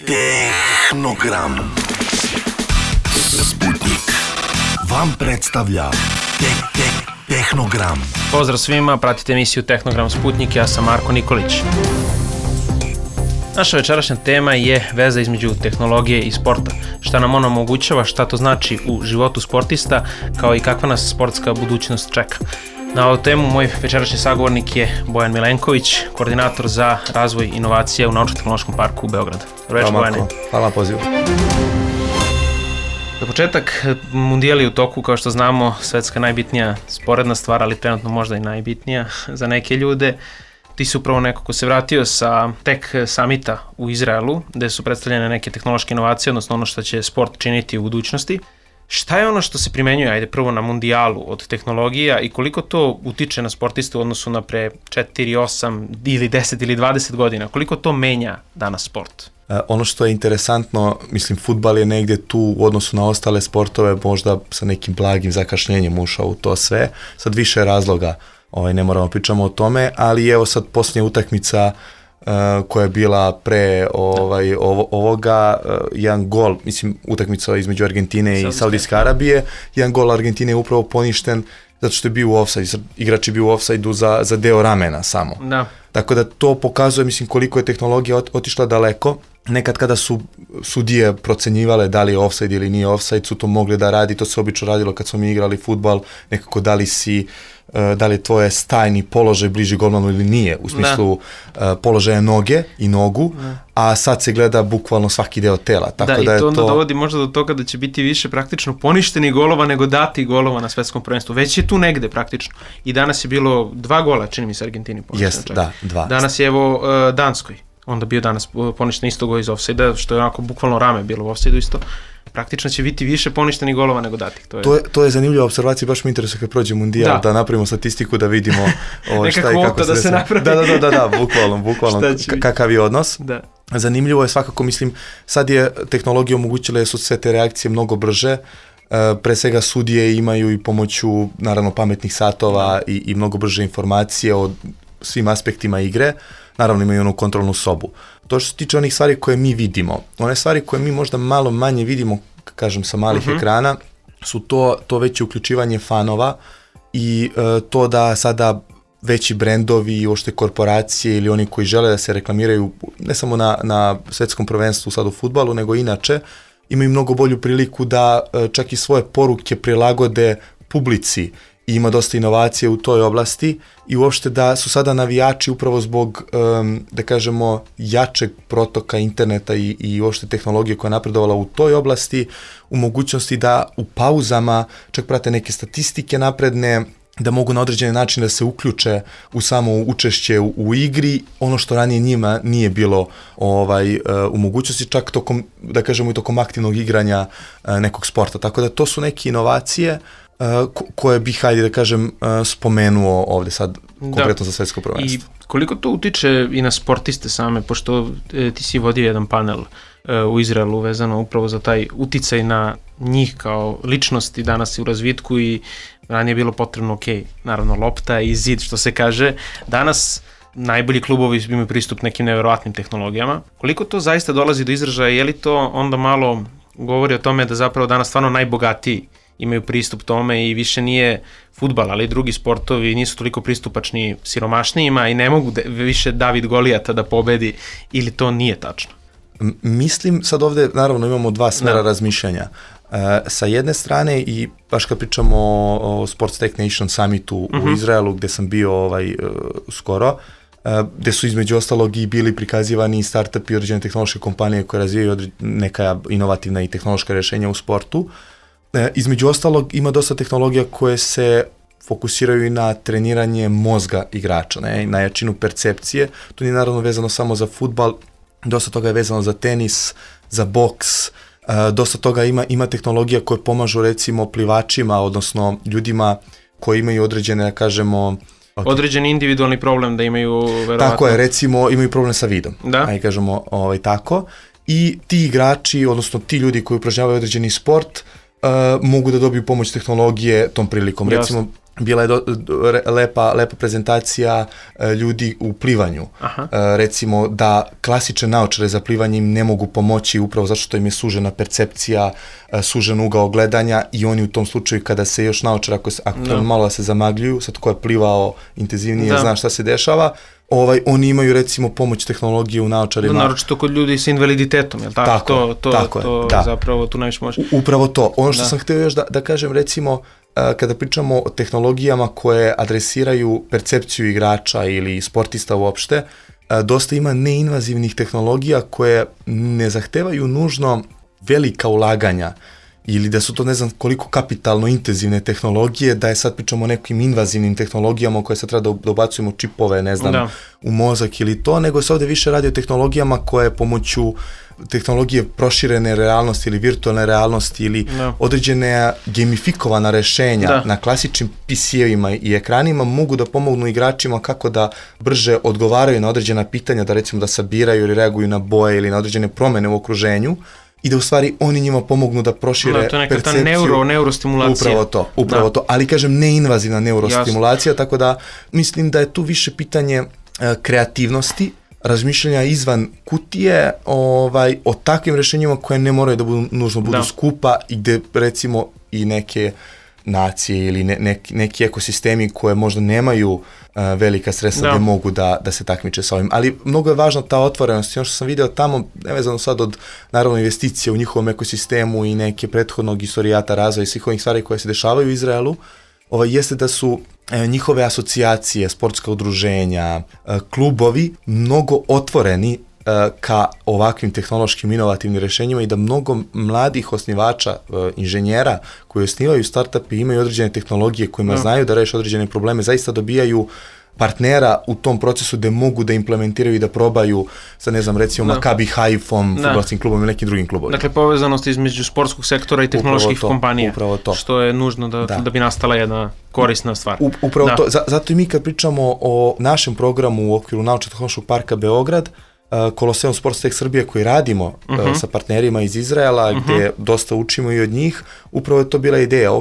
Tehnogram. Sputnik vam predstavlja Tehnogram. Pozdrav svima, pratite emisiju Tehnogram Sputnik, ja sam Marko Nikolić. Naša večerašnja tema je veza između tehnologije i sporta. Šta nam ona omogućava, šta to znači u životu sportista, kao i kakva nas sportska budućnost čeka. Na ovu temu moj večerašnji sagovornik je Bojan Milenković, koordinator za razvoj inovacija u Naučno-tehnološkom parku u Beogradu. Dobro večer, Bojane. Hvala na pozivu. Za početak, mundijal je u toku, kao što znamo, svetska najbitnija sporedna stvar, ali trenutno možda i najbitnija za neke ljude. Ti si upravo neko ko se vratio sa Tech Summita u Izraelu, gde su predstavljene neke tehnološke inovacije, odnosno ono što će sport činiti u budućnosti. Šta je ono što se primenjuje, ajde prvo na mundijalu od tehnologija i koliko to utiče na sportiste u odnosu na pre 4, 8 ili 10 ili 20 godina? Koliko to menja danas sport? Ono što je interesantno, mislim, fudbal je negdje tu u odnosu na ostale sportove možda sa nekim blagim zakašnjenjem ušao u to sve. Sad više razloga, ne moramo pričamo o tome, ali evo sad posljednja utakmica koja je bila pre ovoga, jedan gol, mislim, utakmica između Argentine i Saudijske Arabije, jedan gol Argentine je upravo poništen zato što je bio u offside, igrač je bio u offside-u za deo ramena samo. Da. Tako da to pokazuje, mislim, koliko je tehnologija otišla daleko. Nekad kada su sudije procenjivale da li je offside ili nije offside, su to mogli da radi, to se obično radilo kad smo mi igrali fudbal, nekako da li je tvoje stajni položaj bliži golmanu ili nije, u smislu položaja noge i nogu, a sad se gleda bukvalno svaki deo tela. Tako da i to onda dovodi možda do toga da će biti više praktično poništeni golova nego dati golova na svetskom prvenstvu. Već je tu negde praktično. I danas je bilo 2 gola, čini mi se, Argentini poništeno. Jeste, da, 2. Danas je evo Danskoj. Onda bio danas poništen isto gol iz ofsajda, što je onako bukvalno rame bilo u ofsajdu isto. Praktično će biti više poništenih golova nego datih. To je zanimljiva observacija, baš me interesuje kad prođe mundijal, da napravimo statistiku, da vidimo šta i kako se se napravi. Da, bukvalno kakav je odnos. Da. Zanimljivo je svakako, mislim, sad je tehnologija omogućila da su sve te reakcije mnogo brže. Pre svega sudije imaju i pomoću, naravno, pametnih satova i mnogo brže informacije o svim aspektima igre. Naravno imaju onu kontrolnu sobu. To što se tiče onih stvari koje mi vidimo, one stvari koje mi možda malo manje vidimo, kažem, sa malih ekrana, su to veće uključivanje fanova i to da sada veći brendovi i uopšte korporacije ili oni koji žele da se reklamiraju ne samo na svetskom prvenstvu sad u fudbalu, nego inače, imaju mnogo bolju priliku da čak i svoje poruke prilagode publici. I ima dosta inovacije u toj oblasti i uopšte da su sada navijači upravo zbog, da kažemo, jačeg protoka interneta i uopšte tehnologije koja je napredovala u toj oblasti, u mogućnosti da u pauzama čak prate neke statistike napredne, da mogu na određeni način da se uključe u samo učešće u igri, ono što ranije njima nije bilo u mogućnosti, čak tokom, da kažemo, i tokom aktivnog igranja nekog sporta. Tako da to su neke inovacije koje bih, hajde da kažem, spomenuo ovde sad konkretno za svetsko prvenstvo. I koliko to utiče i na sportiste same, pošto ti si vodio jedan panel u Izraelu vezano upravo za taj uticaj na njih kao ličnosti danas u razvitku i ranije je bilo potrebno, naravno lopta i zid, što se kaže. Danas najbolji klubovi imaju pristup nekim neverovatnim tehnologijama. Koliko to zaista dolazi do izražaja, je li to onda malo govori o tome da zapravo danas stvarno najbogatiji imaju pristup tome i više nije fudbal, ali i drugi sportovi nisu toliko pristupačni siromašnijima i ne mogu više David Golijata da pobedi, ili to nije tačno? Mislim, sad ovde naravno imamo dva smera razmišljanja. Sa jedne strane, i baš kad pričamo o Sports Tech Nation Summitu u Izraelu, gde sam bio skoro, gde su između ostalog i bili prikazivani i startup i određene tehnološke kompanije koje razvijaju neka inovativna i tehnološka rješenja u sportu. Između ostalog ima dosta tehnologija koje se fokusiraju i na treniranje mozga igrača, na jačinu percepcije. To nije naravno vezano samo za fudbal, dosta toga je vezano za tenis, za boks, dosta toga ima tehnologija koje pomažu recimo plivačima, odnosno ljudima koji imaju određene, da kažemo, određeni individualni problem da imaju verovatno. Tako je, recimo imaju problem sa vidom, ajde kažemo tako, i ti igrači, odnosno ti ljudi koji upražnjavaju određeni sport, mogu da dobiju pomoć tehnologije tom prilikom. Recimo, bila je lepa prezentacija ljudi u plivanju. Recimo da klasične naočare za plivanje im ne mogu pomoći upravo zato što im je sužena percepcija, sužen ugao gledanja i oni u tom slučaju kada se još naočara, ako malo da se zamagljuju, sad ko je plivao intenzivnije zna šta se dešava, oni imaju recimo pomoć tehnologije u naočarima. Naročito kod ljudi sa invaliditetom, je li tako? To zapravo tu najviše može. Upravo to. Ono što sam htio još da kažem, recimo, kada pričamo o tehnologijama koje adresiraju percepciju igrača ili sportista uopšte, dosta ima neinvazivnih tehnologija koje ne zahtevaju nužno velika ulaganja ili da su to ne znam koliko kapitalno intenzivne tehnologije, da je sad pričamo o nekim invazivnim tehnologijama u koje se treba da ubacujemo čipove, ne znam, u mozak ili to, nego se ovdje više radi o tehnologijama koje pomoću tehnologije proširene realnosti ili virtualne realnosti ili određene gamifikovana rešenja na klasičnim PC-evima i ekranima mogu da pomognu igračima kako da brže odgovaraju na određena pitanja, da recimo da sabiraju ili reaguju na boje ili na određene promene u okruženju i da u stvari oni njima pomognu da prošire percepciju. To je neka ta neurostimulacija. Upravo to, ali kažem neinvazivna neurostimulacija, tako da mislim da je tu više pitanje kreativnosti, razmišljanja izvan kutije o takvim rešenjima koje ne moraju da nužno budu skupa i gde recimo i neke nacije ili neki ekosistemi koje možda nemaju velika sredstva gde mogu da se takmiče sa ovim. Ali mnogo je važna ta otvorenost i ono što sam video tamo, nevezano sad od naravno investicije u njihovom ekosistemu i neke prethodnog istorijata razvoja i svih ovih stvari koje se dešavaju u Izraelu, jeste da su njihove asocijacije, sportska udruženja, klubovi mnogo otvoreni ka ovakvim tehnološkim inovativnim rešenjima i da mnogo mladih osnivača, inženjera koji osnivaju startupe imaju određene tehnologije kojima znaju da reše određene probleme, zaista dobijaju partnera u tom procesu gde mogu da implementiraju i da probaju sa, ne znam, recimo Maccabi Haifom, fudbalskim klubom ili nekim drugim klubovima. Dakle, povezanost između sportskog sektora i tehnoloških kompanija, što je nužno da bi nastala jedna korisna stvar. Upravo to, zato i mi kad pričamo o našem programu u okviru Naučno-tehnološkog parka Beograd, Koloseum Sports Tech Srbije koji radimo sa partnerima iz Izraela, gde dosta učimo i od njih, upravo je to bila ideja,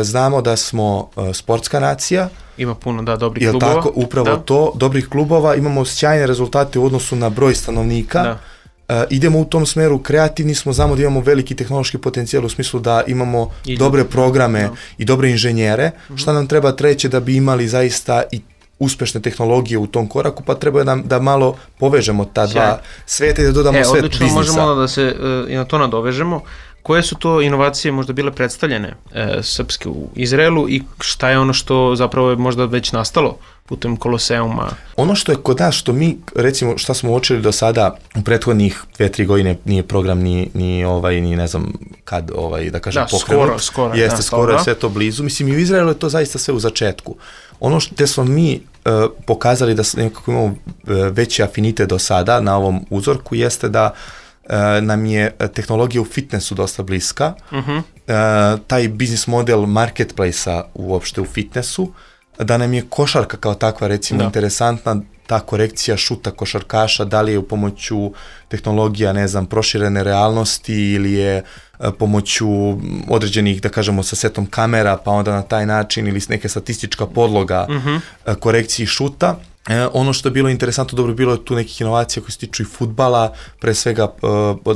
znamo da smo sportska nacija, ima puno, dobrih klubova. Tako, upravo to, dobrih klubova, imamo sjajne rezultate u odnosu na broj stanovnika, idemo u tom smeru, kreativni smo, znamo da imamo veliki tehnološki potencijal u smislu da imamo dobre programe i dobre inženjere, šta nam treba treće da bi imali zaista i uspešne tehnologije u tom koraku, pa treba nam da malo povežemo ta dva sveta i da dodamo svet biznisa. Odlično, možemo da se i na to nadovežemo. Koje su to inovacije možda bile predstavljene srpske u Izraelu i šta je ono što zapravo je možda već nastalo putem Koloseuma? Ono što je kod nas, što mi, recimo, šta smo uočili do sada u prethodnih 2-3 godine, nije program ni ne znam kad, da kažem, pokrenut. Skoro. Jeste, skoro je sve to blizu. Mislim, i u Izraelu je to zaista sve u začetku. Ono što smo mi pokazali da nekako imamo veći afinitet do sada na ovom uzorku jeste da nam je tehnologija u fitnessu dosta bliska. Taj biznis model marketplace-a uopšte u fitnessu, da nam je košarka kao takva recimo interesantna, ta korekcija šuta košarkaša, da li je u pomoću tehnologija, ne znam, proširene realnosti ili je pomoću određenih, da kažemo, sa setom kamera, pa onda na taj način ili neka statistička podloga korekciji šuta. Ono što je bilo interesantno, dobro, bilo je tu nekih inovacija koje se tiču i fudbala, pre svega,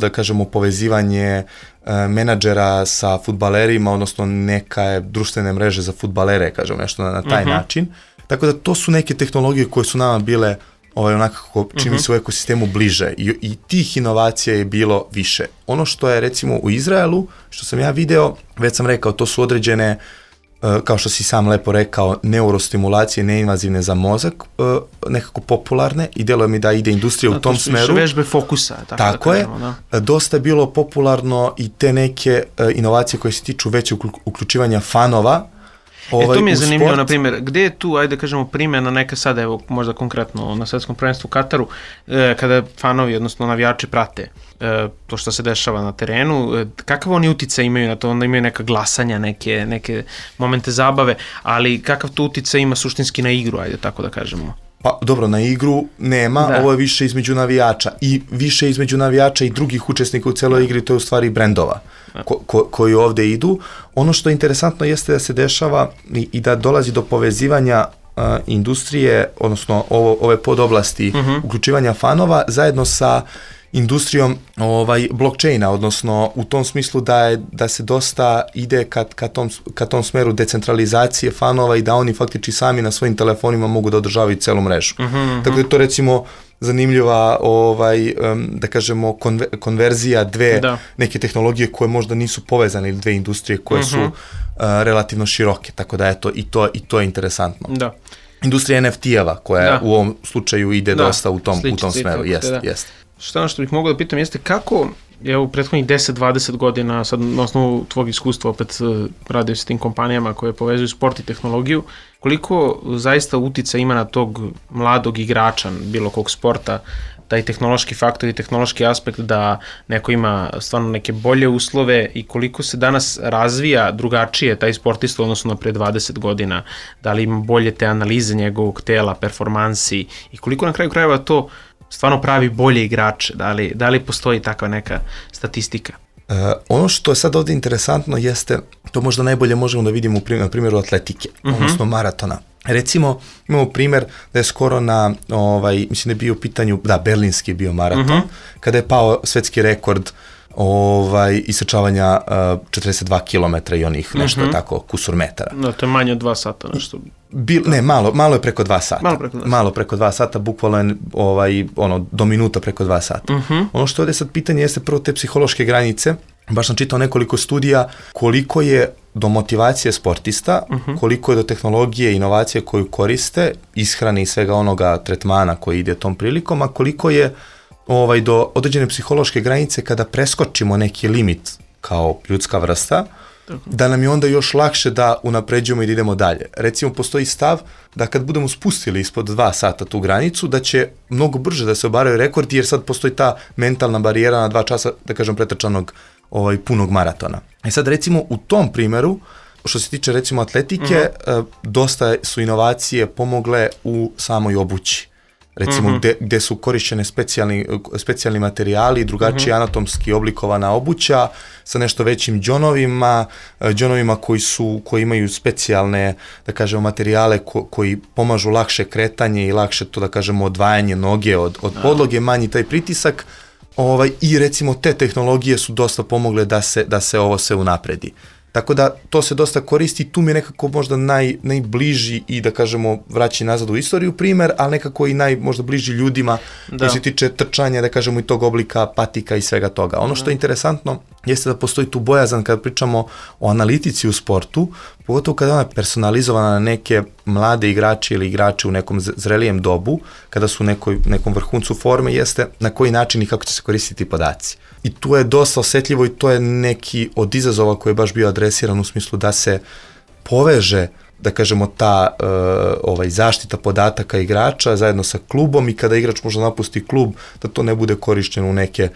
da kažemo, povezivanje menadžera sa fudbalerima, odnosno neka društvene mreže za fudbalere, kažemo, nešto na taj način. Tako da to su neke tehnologije koje su nama bile onako čini se u ekosistemu bliže i tih inovacija je bilo više. Ono što je recimo u Izraelu, što sam ja video, već sam rekao, to su određene, kao što si sam lepo rekao, neurostimulacije, neinvazivne za mozak, nekako popularne i deluje mi da ide industrija u tom smeru. To su vežbe fokusa. Tako je. Dosta je bilo popularno i te neke inovacije koje se tiču većeg uključivanja fanova. To mi je zanimljivo, na primjer, gde je tu, ajde kažemo, primjena neka sada, evo, možda konkretno na svetskom prvenstvu u Kataru, kada fanovi, odnosno navijači prate to što se dešava na terenu, kakav oni uticaj imaju na to, onda imaju neka glasanja, neke momente zabave, ali kakav to uticaj ima suštinski na igru, ajde tako da kažemo? Pa dobro, na igru nema, ovo je više između navijača i više između navijača i drugih učesnika u celoj igri, to je u stvari brendova koji ovde idu. Ono što je interesantno jeste da se dešava i da dolazi do povezivanja industrije, odnosno ove podoblasti uključivanja fanova zajedno sa industrijom blockchaina, odnosno u tom smislu da se dosta ide ka tom smeru decentralizacije fanova i da oni faktički sami na svojim telefonima mogu da održavaju celu mrežu. Tako da je to recimo zanimljiva da kažemo konverzija dve neke tehnologije koje možda nisu povezane ili dve industrije koje su relativno široke, tako da eto i to je interesantno. Da. Industrija NFT-eva koja u ovom slučaju ide dosta u tom smeru, jeste. Što bih mogao da pitam jeste kako je u prethodnih 10-20 godina, sad na osnovu tvog iskustva opet radio s tim kompanijama koje povezuju sport i tehnologiju, koliko zaista utica ima na tog mladog igrača bilo kog sporta, taj tehnološki faktor i tehnološki aspekt da neko ima stvarno neke bolje uslove i koliko se danas razvija drugačije taj sportista odnosno na pre 20 godina, da li ima bolje te analize njegovog tela, performansi i koliko na kraju krajeva to stvarno pravi bolje igrače, da li postoji takva neka statistika? Ono što je sad ovdje interesantno jeste, to možda najbolje možemo da vidimo na primjeru atletike, odnosno maratona. Recimo, imamo primjer da je skoro mislim da je bio u pitanju, berlinski je bio maraton, kada je pao svetski rekord isečavanja 42 km i onih nešto tako kusur metara. No, to je manje od 2 sata nešto. Malo je preko 2 sata. Malo preko 2 sata, bukvalno je do minuta preko 2 sata. Ono što ovdje sad pitanje jeste prvo te psihološke granice. Baš sam čitao nekoliko studija koliko je do motivacije sportista, koliko je do tehnologije i inovacije koju koriste, ishrane i svega onoga tretmana koji ide tom prilikom, a koliko je do određene psihološke granice kada preskočimo neki limit kao ljudska vrsta, da nam je onda još lakše da unapređujemo i da idemo dalje. Recimo, postoji stav da kad budemo spustili ispod 2 sata tu granicu, da će mnogo brže da se obaraju rekordi, jer sad postoji ta mentalna barijera na 2 časa, da kažem, pretrčanog punog maratona. I sad recimo u tom primjeru, što se tiče recimo atletike, dosta su inovacije pomogle u samoj obući. Recimo gde su korišćene specijalni materijali, drugačije anatomski oblikovana obuća sa nešto većim džonovima koji imaju specijalne, da kažemo, materijale koji pomažu lakše kretanje i lakše to, da kažemo, odvajanje noge od podloge, manji taj pritisak. I recimo te tehnologije su dosta pomogle da se ovo sve unapredi. Tako da to se dosta koristi, tu mi je nekako možda najbliži i, da kažemo, vraći nazad u istoriju primjer, ali nekako i možda bliži ljudima koji se tiče trčanja, da kažemo, i tog oblika patika i svega toga. Ono što je interesantno jeste da postoji tu bojazan kada pričamo o analitici u sportu, pogotovo kada je ona personalizovana na neke mlade igrače ili igrače u nekom zrelijem dobu, kada su u nekom vrhuncu forme, jeste na koji način i kako će se koristiti podaci. I tu je dosta osjetljivo i to je neki od izazova koji je baš bio adresiran u smislu da se poveže, da kažemo, ta zaštita podataka igrača zajedno sa klubom i kada igrač možda napusti klub, da to ne bude korišteno u neke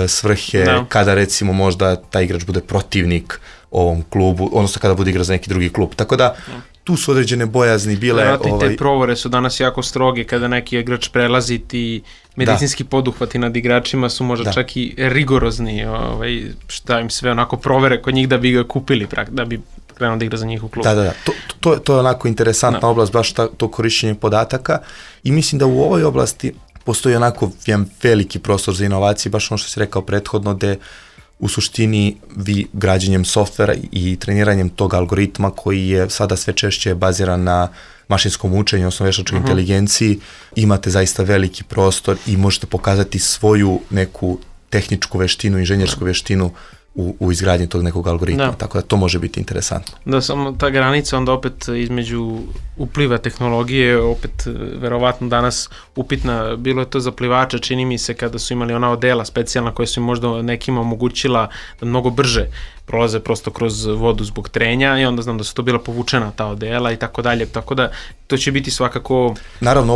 svrhe kada recimo možda taj igrač bude protivnik ovom klubu, odnosno kada bude igrao za neki drugi klub. Tako da tu su određene bojazni bile. Te provore su danas jako stroge kada neki igrač prelazi, ti medicinski poduhvati nad igračima su možda čak i rigorozni, šta im sve onako provere kod njih da bi ga kupili, da bi krenuo da igra za njih u klubu. Da. To je onako interesantna oblast, baš to korišćenje podataka, i mislim da u ovoj oblasti postoji onako jedan veliki prostor za inovacije, baš ono što si rekao prethodno, gde u suštini vi građenjem softvera i treniranjem tog algoritma koji je sada sve češće baziran na mašinskom učenju, odnosno veštačkoj inteligenciji, imate zaista veliki prostor i možete pokazati svoju neku tehničku veštinu, inženjersku veštinu u izgradnji tog nekog algoritma, tako da to može biti interesantno. Da, samo ta granica onda opet između upliva tehnologije, opet verovatno danas upitna, bilo je to za plivače, čini mi se, kada su imali ona odela specijalna koja su im možda nekima omogućila da mnogo brže prolaze prosto kroz vodu zbog trenja i onda znam da su to bila povučena ta odela i tako dalje, tako da to će biti svakako... Naravno,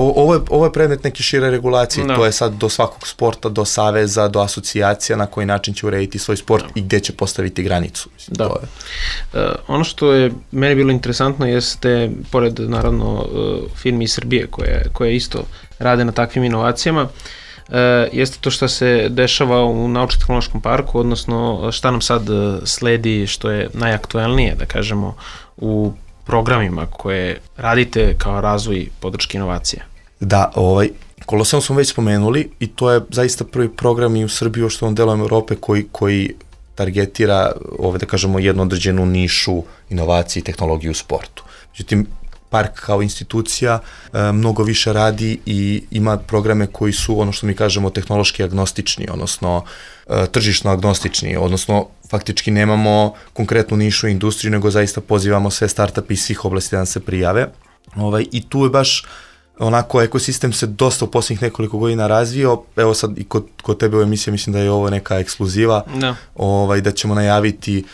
ovo je predmet neke šire regulacije, to je sad do svakog sporta, do saveza, do asocijacija na koji način će urediti svoj sport i gdje će postaviti granicu. Mislim, to je. Ono što je meni bilo interesantno jeste, pored naravno firmi iz Srbije koje isto rade na takvim inovacijama, jeste to što se dešava u naučno-tehnološkom parku, odnosno šta nam sad sledi, što je najaktuelnije, da kažemo, u programima koje radite kao razvoj podrške inovacije. Da, Koloseum smo već spomenuli i to je zaista prvi program i u Srbiji, u što delom Europe koji targetira, da kažemo, jednu određenu nišu inovacije i tehnologije u sportu. Međutim, park kao institucija mnogo više radi i ima programe koji su, ono što mi kažemo, tehnološki agnostični, odnosno tržišno agnostični, odnosno faktički nemamo konkretnu nišu industriju, nego zaista pozivamo sve startupi iz svih oblasti da nam se prijave. I tu je baš onako ekosistem se dosta u posljednjih nekoliko godina razvio. Evo sad i kod tebe u emisiji mislim da je ovo neka ekskluziva, da ćemo najaviti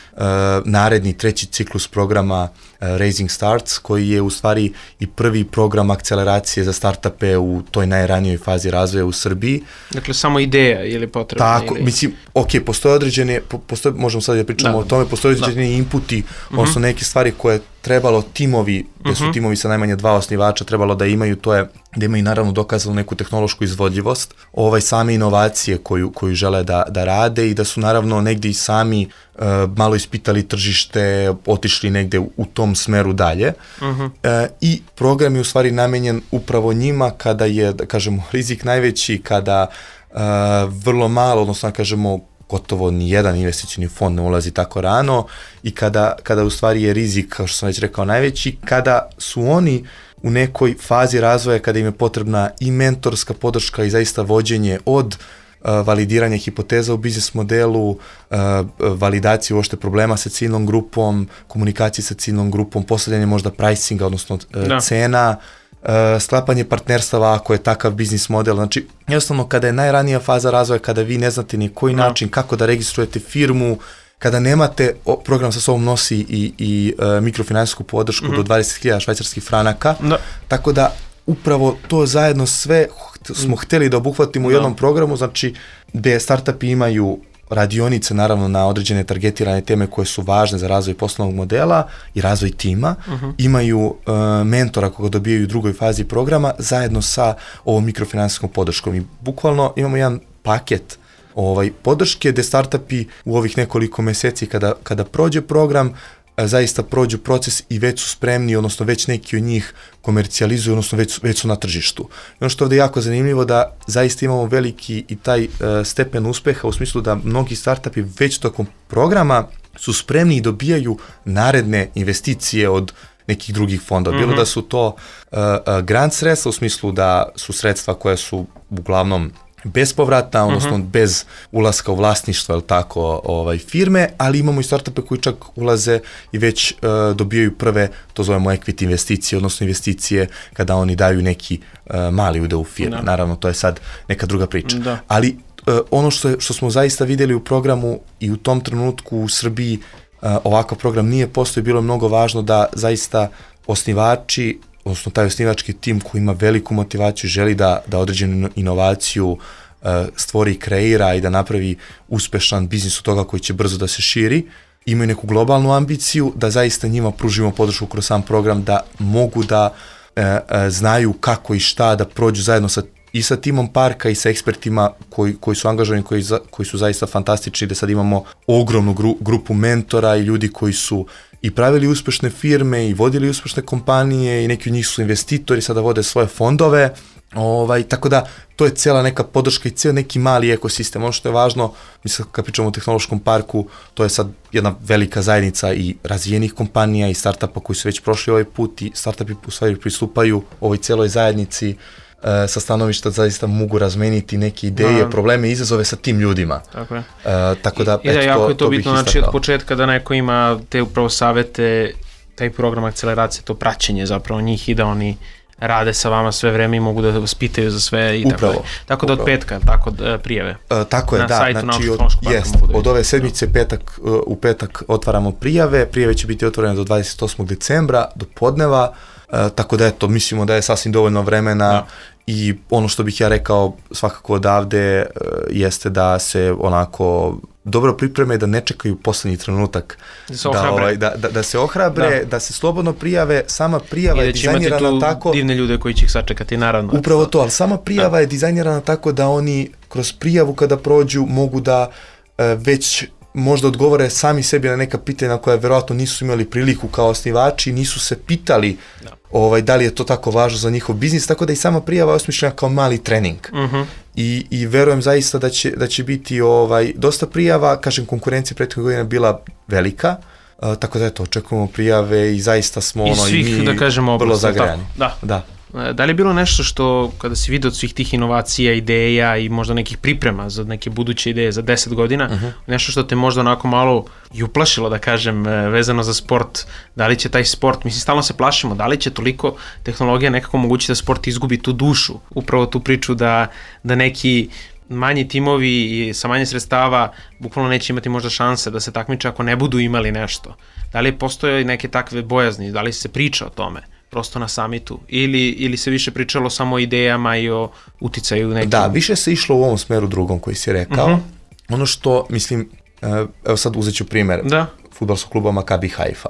naredni treći ciklus programa Raising Starts, koji je u stvari i prvi program akceleracije za startupe u toj najranijoj fazi razvoja u Srbiji. Dakle, samo ideja ili potrebna? Tako, mislim, postoje određene, možemo sad da pričamo o tome, postoje određeni inputi, odnosno neke stvari koje trebalo timovi, gde su timovi sa najmanje 2 osnivača trebalo da imaju, to je da imaju naravno dokazanu neku tehnološku izvodljivost, same inovacije koju žele da rade i da su naravno negdje i sami malo ispitali tržište, otišli negde u tom smeru dalje. I program je u stvari namenjen upravo njima kada je, da kažemo, rizik najveći, kada vrlo malo, odnosno da kažemo, gotovo ni jedan investicioni fond ne ulazi tako rano i kada u stvari je rizik, kao što sam već rekao, najveći, kada su oni u nekoj fazi razvoja, kada im je potrebna i mentorska podrška i zaista vođenje od validiranja hipoteza u biznis modelu, validacije uopšte problema sa ciljnom grupom, komunikacije sa ciljnom grupom, postavljanje možda pricinga, odnosno cena, sklapanje partnerstava ako je takav biznis model. Znači, jednostavno kada je najranija faza razvoja, kada vi ne znate ni koji način, kako da registrujete firmu, kada nemate, program sa sobom nosi i mikrofinansijsku podršku do 20.000 švajcarskih franaka, tako da upravo to zajedno sve smo hteli da obuhvatimo u jednom programu, znači gde startupi imaju radionice naravno na određene targetirane teme koje su važne za razvoj poslovnog modela i razvoj tima, imaju mentora koga dobijaju u drugoj fazi programa zajedno sa ovom mikrofinansijskom podrškom i bukvalno imamo jedan paket podrške gde startupi u ovih nekoliko meseci kada prođe program zaista prođu proces i već su spremni, odnosno već neki od njih komercijalizuju, odnosno već su na tržištu. I ono što je ovdje jako zanimljivo da zaista imamo veliki i taj stepen uspeha u smislu da mnogi startupi već tokom programa su spremni i dobijaju naredne investicije od nekih drugih fondova. Bilo da su to grant sredstva, u smislu da su sredstva koja su uglavnom bespovratna, odnosno bez ulaska u vlasništvo, firme, ali imamo i startupe koji čak ulaze i već dobijaju prve, to zovemo equity investicije, odnosno investicije kada oni daju neki mali udeo u firme. Naravno, to je sad neka druga priča. Ali ono što smo zaista vidjeli u programu i u tom trenutku u Srbiji ovakav program nije postoji, bilo je mnogo važno da zaista osnivači, odnosno taj osnivački tim koji ima veliku motivaciju, želi da određenu inovaciju stvori i kreira i da napravi uspešan biznis od toga koji će brzo da se širi, imaju neku globalnu ambiciju, da zaista njima pružimo podršku kroz sam program, da mogu da znaju kako i šta, da prođu zajedno i sa timom parka i sa ekspertima koji su angažovani, koji su zaista fantastični, da sad imamo ogromnu grupu mentora i ljudi koji su i pravili uspešne firme i vodili uspešne kompanije i neki od njih su investitori, sada vode svoje fondove, tako da to je cijela neka podrška i cijel neki mali ekosistem. Ono što je važno, mislim kad pričamo o tehnološkom parku, to je sad jedna velika zajednica i razvijenih kompanija i startupa koji su već prošli ovaj put i startupi u stvari pristupaju ovoj cijeloj zajednici sa stanovišta zaista mogu razmeniti neke ideje, probleme i izazove sa tim ljudima. Tako je. Tako da, jako je to bitno, znači od početka da neko ima te upravo savete, taj program akceleracije, to praćenje zapravo njih i da oni rade sa vama sve vreme i mogu da vas pitaju za sve i upravo, tako da od petka, tako prijave. Tako je, na da, sajtu znači od ove sedmice u petak otvaramo prijave će biti otvorene do 28. decembra, do podneva, tako da eto, mislimo da je sasvim dovoljno vremena i ono što bih ja rekao svakako odavde jeste da se onako dobro pripreme, da ne čekaju poslednji trenutak, da se ohrabre, da se slobodno prijave, sama prijava je dizajnirana tako... I da će imati tu divne ljude koji će ih sačekati, naravno. Upravo to, ali sama prijava je dizajnirana tako da oni kroz prijavu kada prođu mogu da već možda odgovore sami sebi na neka pitanja koja verovatno nisu imali priliku kao osnivači, nisu se pitali da li je to tako važno za njihov biznis, tako da i sama prijava je osmišljena kao mali trening. I verujem zaista da će biti dosta prijava, kažem, konkurencija prethodnih godina bila velika, tako da eto, očekujemo prijave i zaista smo i mi da kažemo, vrlo zagrejani. Da. Da li je bilo nešto što, kada si vidio od svih tih inovacija, ideja i možda nekih priprema za neke buduće ideje za 10 godina, nešto što te možda onako malo i uplašilo, da kažem, vezano za sport, da li će taj sport, mislim, stalno se plašimo, da li će toliko tehnologija nekako omogućiti da sport izgubi tu dušu, upravo tu priču da neki manji timovi sa manje sredstava bukvalno neće imati možda šanse da se takmiče ako ne budu imali nešto. Da li postoje neke takve bojazni, da li se priča o tome? Prosto na samitu, ili se više pričalo samo o idejama i o uticaju nekim? Da, više se išlo u ovom smeru drugom koji si rekao. Ono što, mislim, evo sad uzet ću primjer fudbalskog kluba Maccabi Haifa.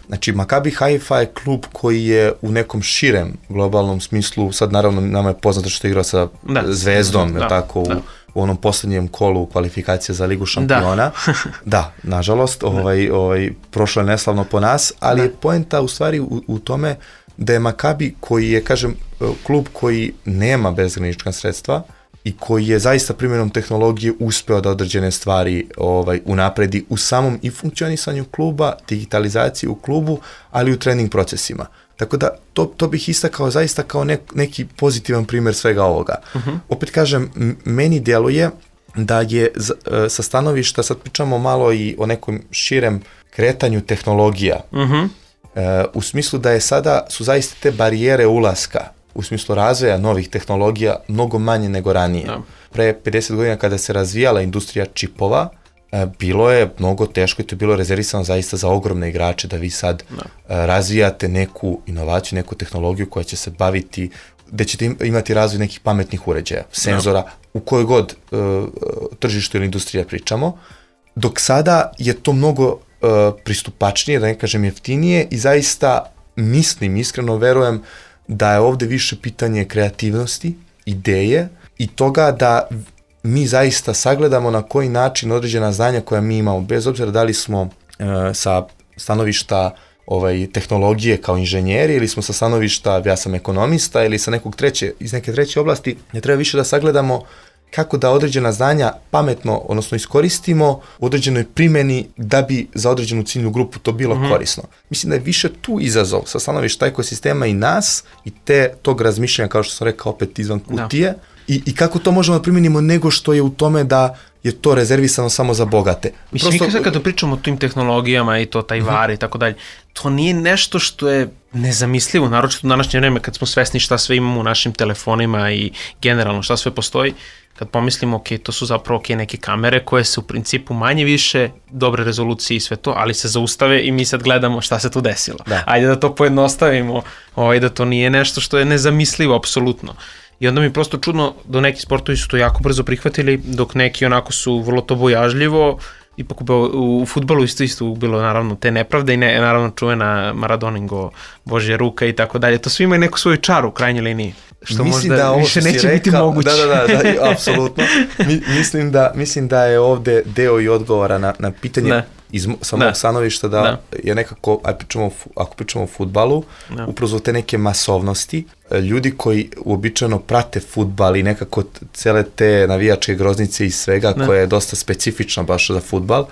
Znači, Maccabi Haifa je klub koji je u nekom širem globalnom smislu, sad naravno nama je poznato što je igrao sa Zvezdom, tako, u onom posljednjem kolu kvalifikacije za Ligu šampiona. Da, nažalost, prošlo je neslavno po nas, ali je poenta u stvari u tome da je Maccabi, koji je, kažem, klub koji nema bezgranična sredstva i koji je zaista primjenom tehnologije uspeo da određene stvari unapredi u samom i funkcionisanju kluba, digitalizaciji u klubu, ali i u trening procesima. Tako da to bih istakao zaista kao neki pozitivan primjer svega ovoga. Opet kažem, meni djeluje da je sa stanovišta, sad pričamo malo i o nekom širem kretanju tehnologija, u smislu da su zaista te barijere ulaska, u smislu razvoja novih tehnologija, mnogo manje nego ranije. Pre 50 godina kada se razvijala industrija čipova, bilo je mnogo teško i to je bilo rezervisano zaista za ogromne igrače da vi sad razvijate neku inovaciju, neku tehnologiju koja će se baviti, gde ćete imati razvoj nekih pametnih uređaja, senzora, u kojoj god tržištu ili industrija pričamo, dok sada je to mnogo pristupačnije, da ne kažem jeftinije, i zaista mislim, iskreno verujem da je ovde više pitanje kreativnosti, ideje i toga da mi zaista sagledamo na koji način određena znanja koja mi imamo, bez obzira da li smo sa stanovišta tehnologije kao inženjeri ili smo sa stanovišta, ja sam ekonomista, ili sa iz neke treće oblasti, ne treba više da sagledamo kako da određena znanja pametno, odnosno iskoristimo u određenoj primjeni da bi za određenu ciljnu grupu to bilo korisno. Mislim da je više tu izazov sa stanovišta ekosistema i nas i tog razmišljanja, kao što sam rekao, opet izvan kutije, i kako to možemo da primjenimo nego što je u tome da je to rezervisano samo za bogate. Mislim, kada pričamo o tim tehnologijama i to taj var i tako dalje, to nije nešto što je nezamislivo, naročito u današnje vreme kad smo svesni šta sve imamo u našim telefonima i generalno šta sve postoji. Kad pomislimo, ok, to su zapravo neke kamere koje se u principu manje više dobre rezolucije i sve to, ali se zaustave i mi sad gledamo šta se tu desilo. Ajde da to pojednostavimo, da to nije nešto što je nezamislivo, apsolutno. I onda mi je prosto čudno da neki sportovi su to jako brzo prihvatili, dok neki onako su vrlo to bojažljivo. Ipak u fudbalu isto bilo naravno te nepravde i naravno čuvena Maradoningo, Božja ruka i tako dalje. To sve ima neku svoju čaru u krajnjoj liniji, što možda više neće biti moguće. Da, apsolutno. Mislim da je ovde deo i odgovora na pitanje iz samog stanovišta da je nekako, ako pričamo o fudbalu, upravo te neke masovnosti, ljudi koji uobičajeno prate fudbal i nekako cele te navijačke groznice i svega koja je dosta specifična baš za fudbal,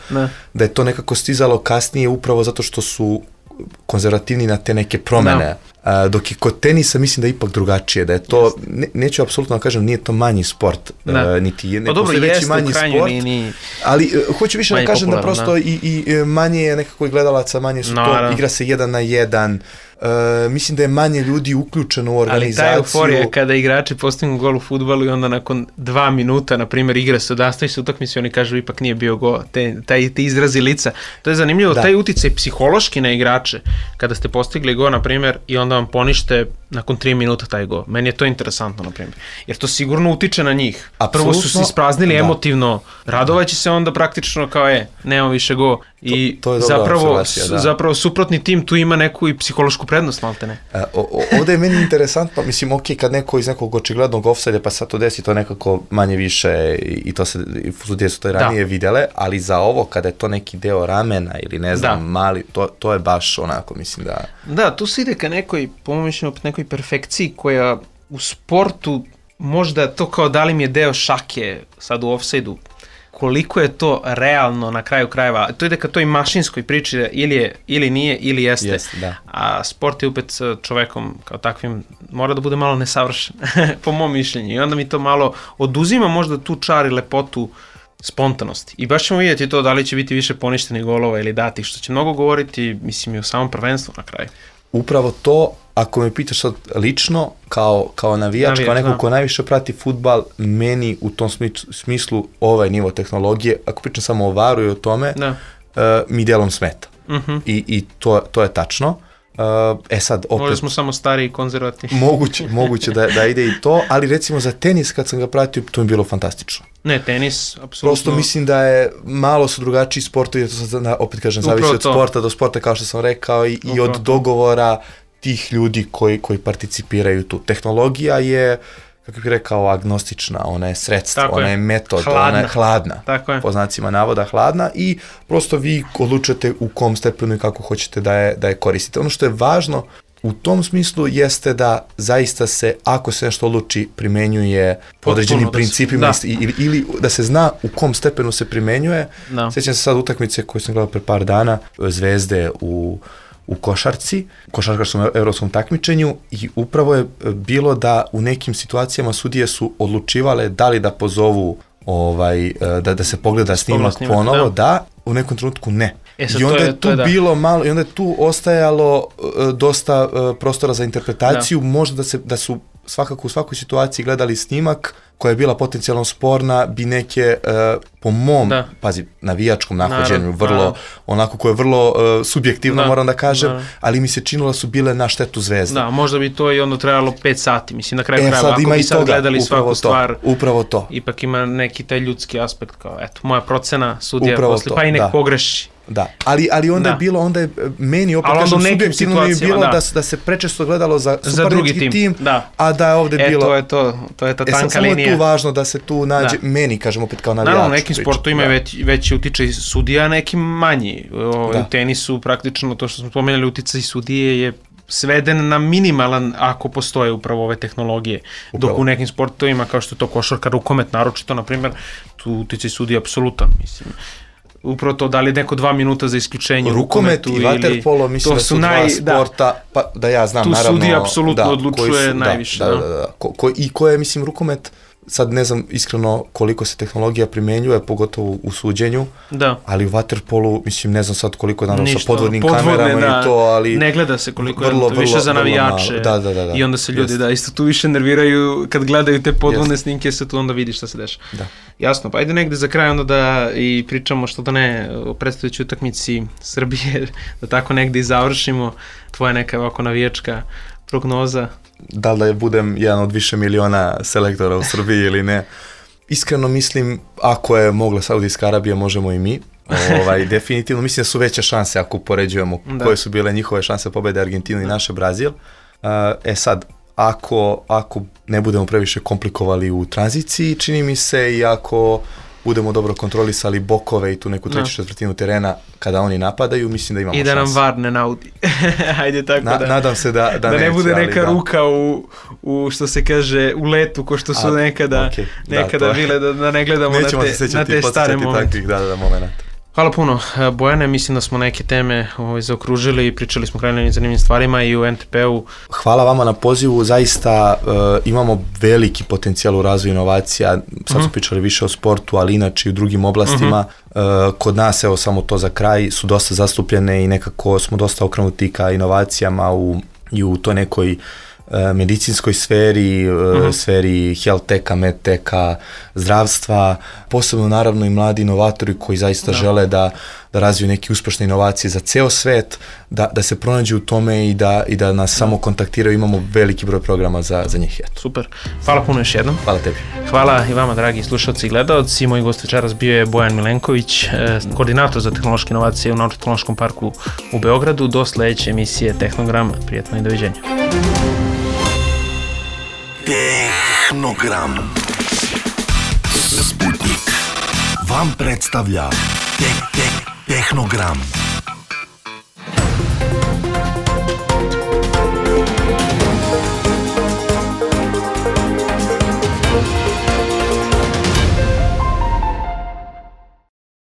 da je to nekako stizalo kasnije upravo zato što su konzervativni na te neke promene. Dok je kod tenisa mislim da je ipak drugačije, da je to, neću apsolutno da kažem, nije to manji sport, niti je neko sve veći manji sport, ali hoću više da kažem da prosto i manje je nekako i gledalaca, manje su to, igra se 1 na 1, mislim da je manje ljudi uključeno u organizaciju. Ali ta euforija kada igrači postignu gol u fudbalu i onda nakon 2 minuta, na primjer, igra se, odastavi se utakmici, oni kažu ipak nije bio gol, te izrazi lica. To je zanimljivo, taj uticaj psihološki na igrače, kada ste postigli gol, na primjer, i onda vam ponište nakon 3 minuta taj gol. Meni je to interesantno, na primjer. Jer to sigurno utiče na njih. Prvo su se ispraznili emotivno, radovaći se onda praktično kao nema više gol. I to je zapravo suprotni tim tu ima neku i psihološku prednost, malte ne. Ovdje je meni interesantno, mislim, kad neko iz nekog očiglednog ofsajda pa sad to desi, to nekako manje više i to se, sudije su to i ranije vidjele, ali za ovo kada je to neki deo ramena ili ne znam, mali, to je baš onako, mislim da... Da, tu se ide ka nekoj, po mojom mišljenju, nekoj perfekciji koja u sportu možda to kao da li mi je deo šake sad u ofsajdu, koliko je to realno na kraju krajeva. To ide ka toj mašinskoj priči da ili nije ili jeste. A sport je opet čovekom kao takvim mora da bude malo nesavršen, po mom mišljenju. I onda mi to malo oduzima možda tu čar i lepotu spontanosti. I baš ćemo vidjeti to da li će biti više poništenih golova ili dati, što će mnogo govoriti, mislim, i o samom prvenstvu na kraju. Upravo to, ako me pitaš sad lično, kao navijač, kao neko ko najviše prati fudbal, meni u tom smislu ovaj nivo tehnologije, ako pričam samo o VAR-u i o tome, mi delom smeta. I to je tačno. Sad, opet... Možda smo samo stari i konzervativni. Moguće da ide i to, ali recimo za tenis kad sam ga pratio, to mi je bilo fantastično. Ne, tenis, apsolutno. Prosto mislim da je malo su drugačiji sportovi, jer to sad, opet kažem, zavisi od sporta do sporta, kao što sam rekao, i od dogovora tih ljudi koji participiraju tu. Tehnologija je, kako bih rekao, agnostična, ona je sredstvo, ona je metod, ona je hladna, po znacima navoda hladna, i prosto vi odlučujete u kom stepenu i kako hoćete da je koristite. Ono što je važno u tom smislu jeste da zaista se, ako se nešto odluči, primenjuje po određenim principima ili da se zna u kom stepenu se primenjuje. Sjećam se sad utakmice koju sam gledao pre par dana, Zvezde u košarkaškom evropskom takmičenju, i upravo je bilo da u nekim situacijama sudije su odlučivale da li da pozovu da se pogleda snimak ponovo, u nekom trenutku ne. I onda je tu bilo malo, i onda je tu ostajalo dosta prostora za interpretaciju, možda da su svakako u svakoj situaciji gledali snimak koja je bila potencijalno sporna, bi neke, po mom, navijačkom nahođenju, onako koje je vrlo subjektivno, moram da kažem, ali mi se činilo su bile na štetu Zvezde. Da, možda bi to i onda trajalo 5 sati, mislim, na kraju krajeva, ako bi sad gledali svaku stvar, upravo to. Ipak ima neki taj ljudski aspekt, kao, eto, moja procena, sudija posle, pa i nek pogreši. Da, ali onda je bilo, meni opet kažem, subjektivno mi je bilo da se prečesto gledalo za suparnički tim, a da je ovde bilo... To je ta tanka linija. Samo je tu važno da se tu nađe, meni, kažem opet kao navijač. Naravno, u nekim sportovima je veći utičaj sudija, nekim manji. U tenisu praktično, to što smo spomenuli, uticaj sudije je sveden na minimalan ako postoje upravo ove tehnologije. Dok u nekim sportovima, kao što je to košarka, rukomet, naročito, na primjer, tu uticaj sudije je apsolutan, mislim. Upravo to, da li neko 2 minuta za isključenje rukomet i vaterpolo, mislim da su dva sporta, pa da ja znam, naravno... Tu sudija apsolutno odlučuje najviše. I koje, mislim, rukomet, sad ne znam iskreno koliko se tehnologija primenjuje, pogotovo u suđenju, ali u vaterpolu, mislim, ne znam sad koliko je naravno sa podvodnim kamerama i to, ali... Ne gleda se koliko je to više za navijače. I onda se ljudi, isto tu više nerviraju kad gledaju te podvodne snimke, se tu onda vidi šta se dešava. Jasno, pa ajde negde za kraj onda da i pričamo, što da ne, o predstavljajućoj utakmici Srbije, da tako negde i završimo. Tvoja neka ovako navijačka prognoza. Da li da budem jedan od više miliona selektora u Srbiji ili ne? Iskreno mislim, ako je mogla Saudijska Arabija, možemo i mi. Definitivno, mislim da su veće šanse ako upoređujemo koje su bile njihove šanse pobede Argentinu i naše Brazil. Sad, ako ne budemo previše komplikovali u tranziciji, čini mi se, i ako budemo dobro kontrolisali bokove i tu neku treću četvrtinu terena kada oni napadaju, mislim da imamo šanse. I da nam VAR ne naudi. Hajde tako nadam se da neće. Da ne bude neka ruka u što se kaže, u letu, ko što su nekada bile, da ne gledamo na te stare momente. Takvih, momenata. Hvala puno, Bojane, mislim da smo neke teme zaokružili i pričali smo krajnje zanimljivim stvarima i u NTP-u. Hvala vama na pozivu, zaista imamo veliki potencijal u razvoju inovacija, sad smo pričali više o sportu, ali inače i u drugim oblastima. Kod nas, evo samo to za kraj, su dosta zastupljene i nekako smo dosta okrenuti ka inovacijama i u toj nekoj medicinskoj sferi, sferi health teka, med teka, zdravstva, posebno naravno i mladi inovatori koji zaista žele da razviju neke uspešne inovacije za ceo svet, da se pronađu u tome i da nas samo kontaktiraju, imamo veliki broj programa za njih. Super, hvala puno još jednom. Hvala tebi. Hvala i vama, dragi slušalci i gledalci. Moj gost večeras bio je Bojan Milenković, koordinator za tehnološke inovacije u Naučno-tehnološkom parku u Beogradu. Do sledeće emisije Tehnogram, prijatno i doviđenja. Tehnogram. Sputnik vam predstavlja Tehnogram.